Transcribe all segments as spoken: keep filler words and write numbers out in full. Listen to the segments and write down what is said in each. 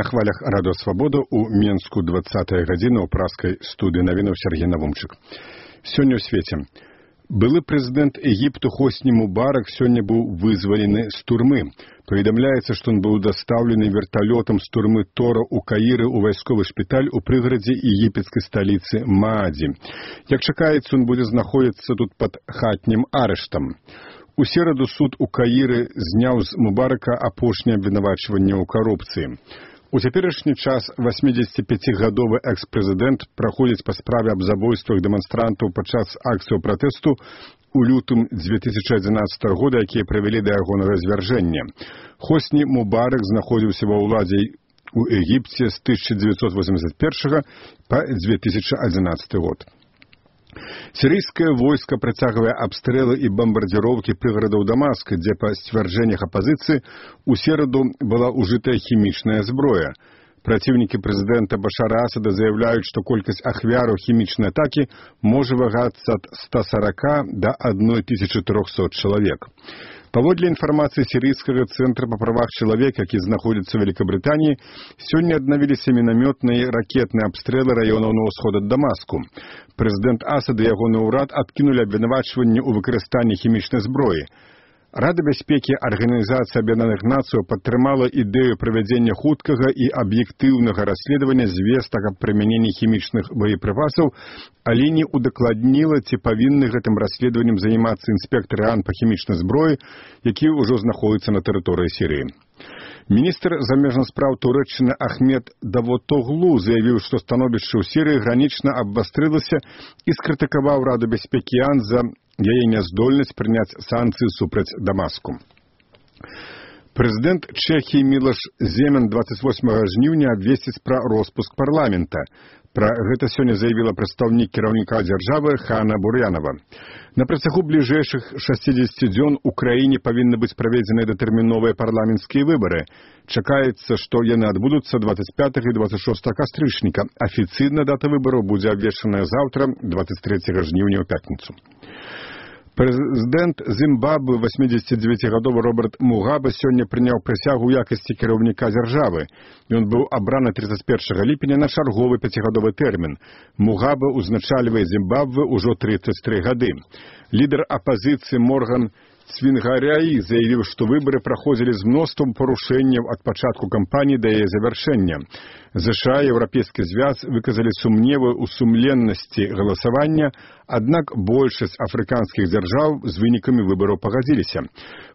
хвалях радыё Свабода ў Менску двадцатая гадзіна ў праскай студыі навінаў Сергей Навумчык. Сёння ў свеце. Былы прэзідэнт Егіпту Хосні Мубарак сёння быў вызвалены з турмы. Паведамляецца, што ён быў дастаўлены верталётам з турмы Тора ў Каіры ў вайсковы шпіталь у прыгарадзе егіпецкай сталіцы Маадзі. Як чакаецца, ён будзе знаходзіцца тут пад хатнім арыштам. У сераду суд у Каіры зняў з Мубарака апошняе абвінавачванне ў карупцыі. У цяперашні час васьмідзесяціпяцігадовы экс-прэзідэнт праходзіць па справе аб забойствах дэманстрантаў падчас акцыяў пратэсту у лютым дзве тысячы адзінаццатага года, якія прывялі да ягонага звяржэння. Хосні Мубарак знаходзіўся ва ўладзе ў Егіпце з тысяча дзевяцьсот восемьдесят першага па дзве тысячы адзінаццаты год. Сірыйскае войска працягвае абстрэлы і бамбардзіроўкі прыгарадаў Дамаска, дзе па сцвярджэннях апазіцыі ў сераду была ўжытая хімічная зброя. Праціўнікі прэзідэнта Башара Асада заяўляюць, што колькасць ахвяраў хімічнай атакі можа вагацца ад ста сорока да адной тысячы трохсот чалавек. Паводле інфармацыі сірыйскага цэнтра па правах чалавека, які знаходзіцца ў Вялікабрытаніі, сёння аднавіліся мінамётныя і ракетныя абстрэлы раёнаў на ўсход ад Дамаску. Прэзідэнт Асад і ягоны ўрад адкінулі абвінавачванні ў выкарыстанні хімічнай зброі. Рада бяспекі Арганізацыі Аб'яднаных Нацыяў падтрымала ідэю правядзення хуткага і аб'ектыўнага расследавання звестак аб прымяненні хімічных боепрыпасаў, але не удакладніла, ці павінны гэтым расследаваннем займацца інспектары АН па хімічнай зброі, які ўжо знаходзяцца на тэрыторыі Сірыі. Міністр замежных спраў Турэччыны Ахмед Давутоглу заявіў, што становішча ў Сірыі гранічна абвастрылася і скрытыкаваў Раду бяспекі АН за яе няздольнасць прыняць санкцыі супраць Дамаску. Прэзідэнт Чэхіі Мілаш Земан двадцать восьмага жніўня абвесціць пра роспуск парламента. Пра гэта сёння заявіла прадстаўнік кіраўніка дзяржавы Хана Бур'янова. На працягу бліжэйшых шасцідзесяці дзён у краіне павінны быць праведзеныя датэрміновыя парламенцкія выбары. Чакаецца, што яны адбудуцца двадцать пятага і двадцать шостага кастрычніка. Афіцыйна дата выбараў будзе абвешчаная заўтра, двадцать трэцяга жніўня ў пятніцу. Прэзідэнт Зімбабве васьмідзесяцідзевяцігадовы Роберт Мугабе сёння прыняў прысягу ў якасці кіраўніка дзяржавы. Ён быў абраны тридцать першага ліпеня на чарговы пяцігадовы тэрмін. Мугабе узначальвае Зімбабве ўжо тридцать тры гады. Лідар апазіцыі Морган Цвінгаряі заявіў, што выбары праходзілі з мноствам парушэнняў ад пачатку кампаніі да яе завяршэння. ЗША і Еўрапейскі звяз выказалі сумневы ў сумленнасці галасавання, аднак большасць афрыканскіх дзяржаў з вынікамі выбараў пагадзіліся.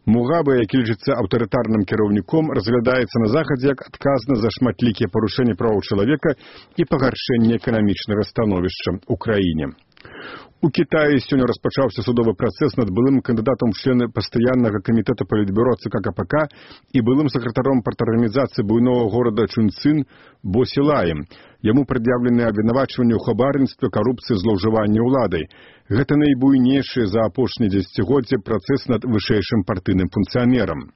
Мугабе, які лічыцца аўтарытарным кіраўніком, разглядаецца на захадзе як адказна за шматлікія парушэнні правоў чалавека і пагаршэнне эканамічнага становішча ў краіне. У Кітаі сёння распачаўся судовы працэс над былым кандыдатам у члены пастаяннага камітэта палітбюро ЦК КПК і былым сакратаром парторганізацыі буйнога горада Чунцын Бо Сілаем. Яму прад'яўлены абвінавачванні ў хабарніцтве, карупцыі, злоўжыванні ўладай. Гэта найбуйнейшы за апошнія дзесяцігоддзі працэс над вышэйшым партыйным функцыянерам.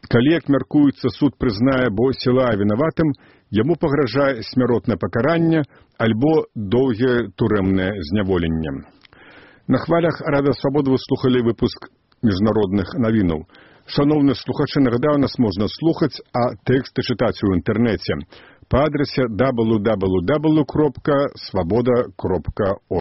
Калі, як мяркуецца, суд прызнае Бо Сілая вінаватым, яму пагражае смяротнае пакаранне альбо доўгае турэмнае зняволенне. На хвалях Рада Свабоды вы слухалі выпуск міжнародных навінаў. Шановныя слухачы, нагадаю, нас можна слухаць, а тэксты чытаць у інтэрнэце па адрасе дабл ю дабл ю дабл ю кропка свабода кропка орг.